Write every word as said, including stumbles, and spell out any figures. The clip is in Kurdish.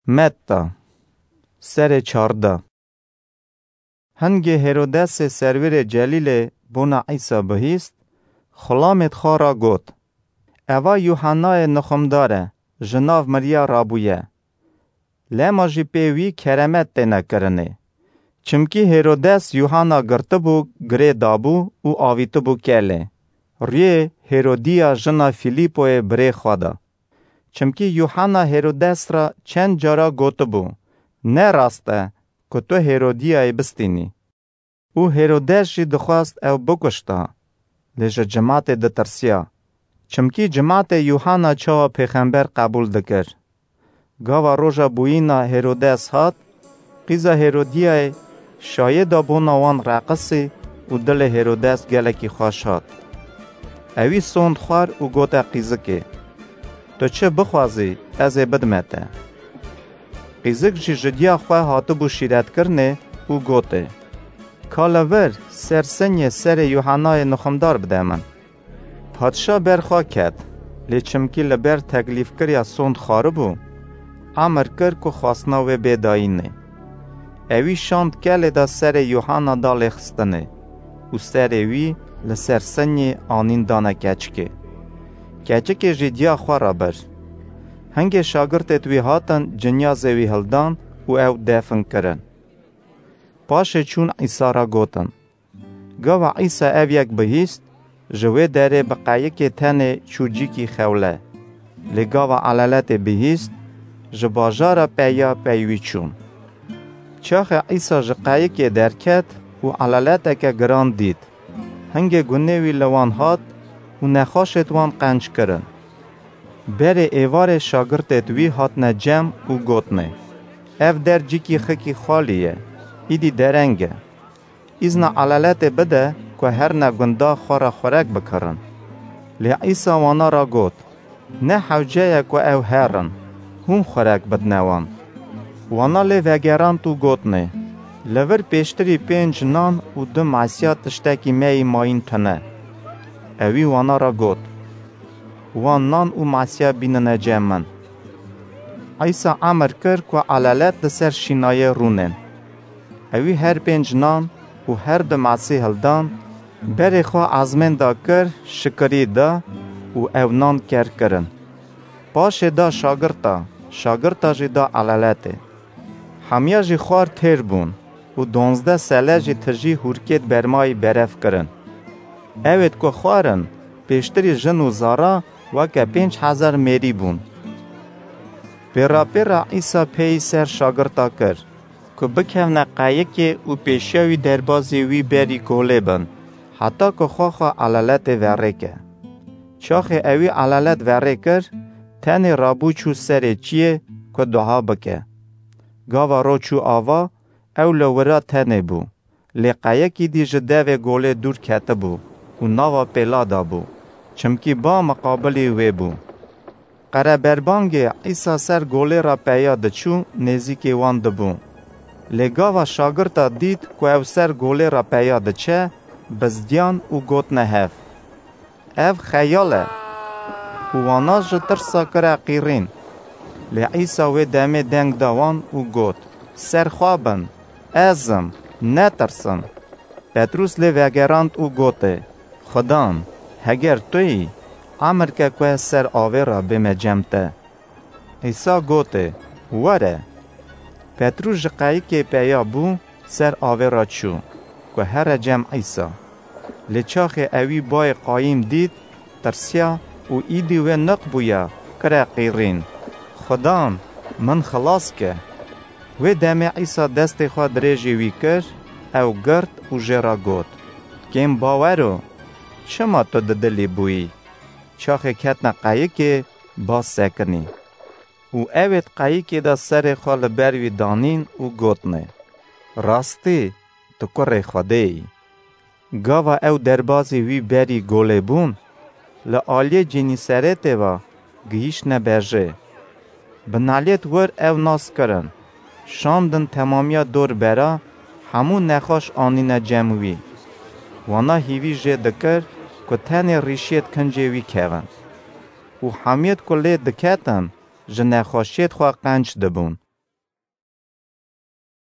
Metta, serê çardeh. Hingê Hêrodesê serwêrê Celîlê bona Îsa bihîst, xulamêd xwe ra got, "Eva Yûhennayê nixumdar e, ji nav miriya rabûye." Lema jî pê wî keremet têne kirinê. Çimkî Hêrodes Yûhenna girtibû, girê dabû û avîtibû kelê. Rûyê Hêrodîya jina Fîlîpoyê birê xwe de. Çimkî Yûhenna Hêrodes re çend cara gotibû, "Ne rast e ku tu Hêrodîyayê bistînî." Û Hêrodes jî dixwest ew bikuşta, lê ji cimatê ditirsiya. Çimkî cimatê Yûhenna çawa pêxember qebûl dikir. Gava roja bûyîna Hêrodes hat, qîza Hêrodîyayê şayê da bona wan reqisî û dilê Hêrodes gelekî xweş hat. Ewî sond xwar û gote qîzikê, "Tu çi bixwazî, ez ê bidime te." Qîzik jî ji diya xwe hatibû şîretkirinê û gotê, "Ka li vir ser sinyê serê Yûhennayê nixumdar bide min." Padşa ber xwe ket, lê çimkî li ber teklîfkiriya sond xwaribû, emir kir ku xwastina wê bê dayînê. Ewî şand kelê de serê Yûhenna da lêxistinê û serê wî li ser sinyê anîn dane keçikê. Keçikê jî diya xwe re bir. Hingê şagirtêd wî hatin, cinyazê wî hildan û ew defn kirin. Paşê çûn Îsa re gotin. Gava Îsa ev yek bihîst, ji wê derê bi qeyikê tenê çû cîkî xewle. Lê gava eleletê bihîst, ji bajara peya pey wî çûn. Çaxê Îsa ji qeyikê derket û eleleteke giran dît. Hingê gunê wî li wan hat û nexweşêd wan qenc kirin. Berê êvarê şagirtêd wî hatine cem û gotnê, "Ev der cîkî xikî xalî ye, îdî dereng e. Îzna eleletê bide ku herine gunda xwe re xurek bikirin." Lê Îsa wana re got, "Ne hewce ye ku ew herin, hûn xurek bidine wan." Wana lê vegerand û gotnê, "Li vir pêştirî pênc nan û du masiya tiştekî me yî mayîn tune." Ewî wana re got, "Wan nan û masiya bînine cem min." Îsa emir kir ku elelet li ser şînayê rûnên. Ewî her pênc nan û her du masî hildan, berê xwe ezmên da kir, şikirî da û ew nan ker kirin. Paşê da şagirta, şagirta jî da eleletê. Hemiya jî xwar têr bûn û donzdeh sele jî tijî hûrkêd bermayî berev kirin. Ewêd ku xwarin, pêştirî jin û zara weke pênc hezar mêrî bûn. Pêra pêra Îsa pêyî ser şagirta kir, ku bikevne qeyikê û pêşiya wî derbazê wî berî golê bin, heta ku xwe xwe eleletê verêke. Çaxê ewî elelet verê kir, tenê rabû çû serê çiyê ku dua bike. Gava ro çû ava, ew li wira tenê bû. Lê qeyekî dî ji devê golê dûr ketibû û nava pêla de bû, çimkî ba miqabilî wê bû. Qereberbangê Îsa ser golê re peya diçû, nêzîkê wan dibû. Lê gava şagirta dît ku ew ser golê re peya diçe, bizdiyan û gotine hev, "Ev xeyal e." Û wana ji tirsa kire qîrîn. Lê Îsa wê demê deng da wan û got, "Ser xwe bin, ez im, netirsin." Petrûs lê vegerand û gotê, "Xudan, heger tu yî, emir ke ku ez ser avê re bême cem te." Îsa gotê, "Were." Petrûs ji qeyikê peya bû, ser avê re çû, ku here cem Îsa. Lê çaxê ewî bayê qayîm dît, tirsiya û îdî wê niq bûya, kire qîrîn, "Xudan, min xilas ke." Wê demê Îsa destê xwe dirêjî wî kir, ew girt û jê re got, "Kêm bawero, çima tu didilî bûyî?" Çaxê ketine qeyikê, ba sekinî. Û ewêd qeyikê de serê xwe li ber wî danîn û gotnê, "Rastî, tu kurê Xwedê yî." Gava ew derbazî wî berî golê bûn, li aliyê Cînîseretê ve gihîştine bejê. Bi naliyêd wir ew nas kirin, şandin temamiya dor bera, hemû nexweş anîne cem wî. Wana hîvî jê dikir ku tenê rîşiyêd kincê wî kevin. Û hemiyêd ku lê diketin, ji nexweşiyêd xwe qenc dibûn.